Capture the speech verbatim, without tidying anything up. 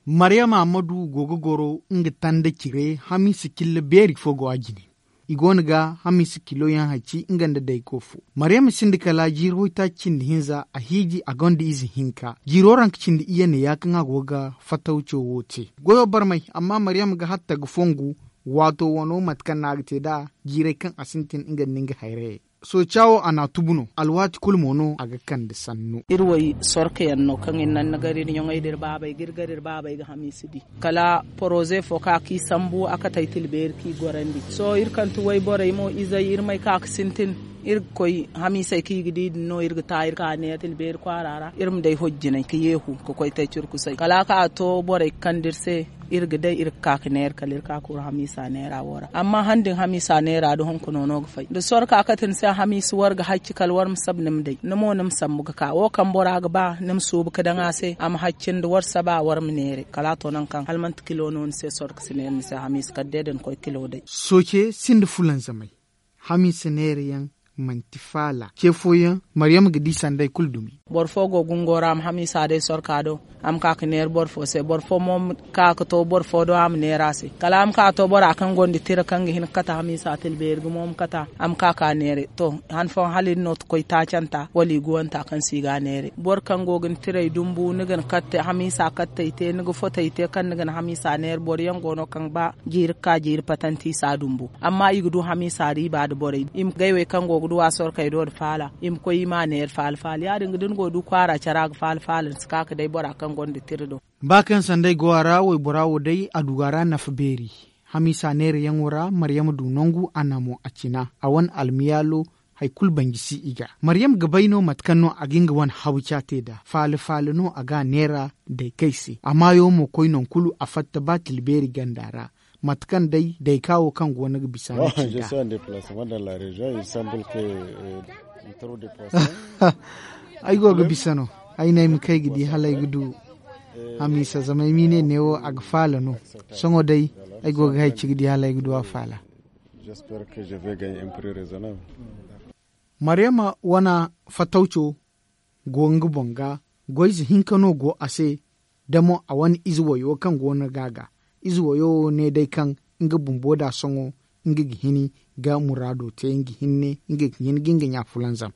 Maryama ammadu go ga goro nga tanda cire hamiisa cilla beeri fo go a jine. I go no ga hamiisa kilo yaŋ haci nga nda dayko fo. Maryama sinda kala jiiri hoytaaci cindi hinza a hiiji a gonda ize hinka jiiro ranka cindi iyye ne ya kaŋ a go ga fatawco wo te. Goyo barmay amma maryama ga hatta ga fongu. Waato wano mate kaŋ no a ga te nd'a jiirey kaŋ a sintin nga nda nga hayrayey. Sooca wo a n'a tubu no alwaati kulu mo no a ga kande sannu. Iri wo sorka yaŋ no kaŋ iri naŋ ni gar iri ɲoŋey nda iri baabey ga iri gar iri baabey ga hamiisa di. Kala poroze fo ka kaŋ i sambu a kate ay tila beeri kaŋ i gorandi sohõ iri kaŋ ti wayborey mo izey iri may ka ga sintin. Iri ga koy hamiisey kaŋ i ga di din no iri ga ta iri ka neera tila beeri kwaara ra iri ma day hojjinay ka yeehu ka koy te curkusay kala a ka a to borey ga kande iri se. Iri ga day iri ga ka ga neera kala iri ka ga kuru hamiisa neera wo ra amma han din hamiisa neera da hunkuna no ga fay da sorka kate ni se hamiisa war ga hacci kala war ma saba ni ma day ni mo ni ma sambu ga ka wo kaŋ bora ga ba ni ma suubu ga daŋ a se a ma hacci nda war saba war ma neera kala a to nangu kaŋ hala manti kilo no ni se sorka si neera ni se hamiisa kala day da ni koy kilo day. Sooce sinda fulanzamay hamiisa neera yaŋ manti faala ce fooyaŋ. Maryama ga di sanday kulu dumi. Boro fo go gungo ra a ma hamiisa day sorka do a ma ka ga neera boro fo se boro fo mo ma ka ga to boro fo do a ma neera a se kala a ma ka ga to bora kaŋ gonda tira kaŋ ga hin ga kate hamiisa tila beeri gumo ma kate a ma ka ga neera. To han fooyaŋ hala iri no ga koy taacanta wala i guwanta kaŋ se i ga a neera boro kaŋ go ga ni tiray dumbu ni ga ni katte hamiisa kattey te ni ga fotey te kaŋ ni ga ni hamiisa neera boro yaŋ go no kaŋ ba jiiri ga ka jiiri patanti i si a dumbu. Amma i ga du hamiisa riiba nda borey i ma gay wey kaŋ go ga du a sorkey do nda faala i ma koy i ma a neera faala faala ya- din ga da ni go ga du kwaara care a ga faala faala ni si ka ga day bora kaŋ gonda tira do. Ba kaŋ sanday go a ra waybora wo day a du a ra nafa beeri. Hamiisa neerayaŋo ra maryama du nangu a na mo a cina a wane almiyaalo. Hari kulu banji si i ga maryama ga bay no mate kaŋ no a ga nga wane habu ca te nd'a faala faala no a ga a neera. Daykey se a maayo mo koy nangu kulu a fatta ba tila beeri ganda ra. Mate kaŋ day dayka wo kaŋ go no ga bisa no ci nd'a. Ay go ga bisa no. Ay ne ay ma kay ga di hala ay ga du. Hamiisa zama ay m'i ne neewo a ga faala no. Sohõ day ay go ga hay ci ga di hala ay ga du a faala. Maryama wane fatawco go nga boŋ ga. Goyze hinka no go a se. Da mo a wane ize wayo kaŋ go no ga a ga ize wayo wo ne day kaŋ nga bumbo da sohõ nga ga hini ga muraado te nga hinne nga ga hin ga nga ɲa fulanzam.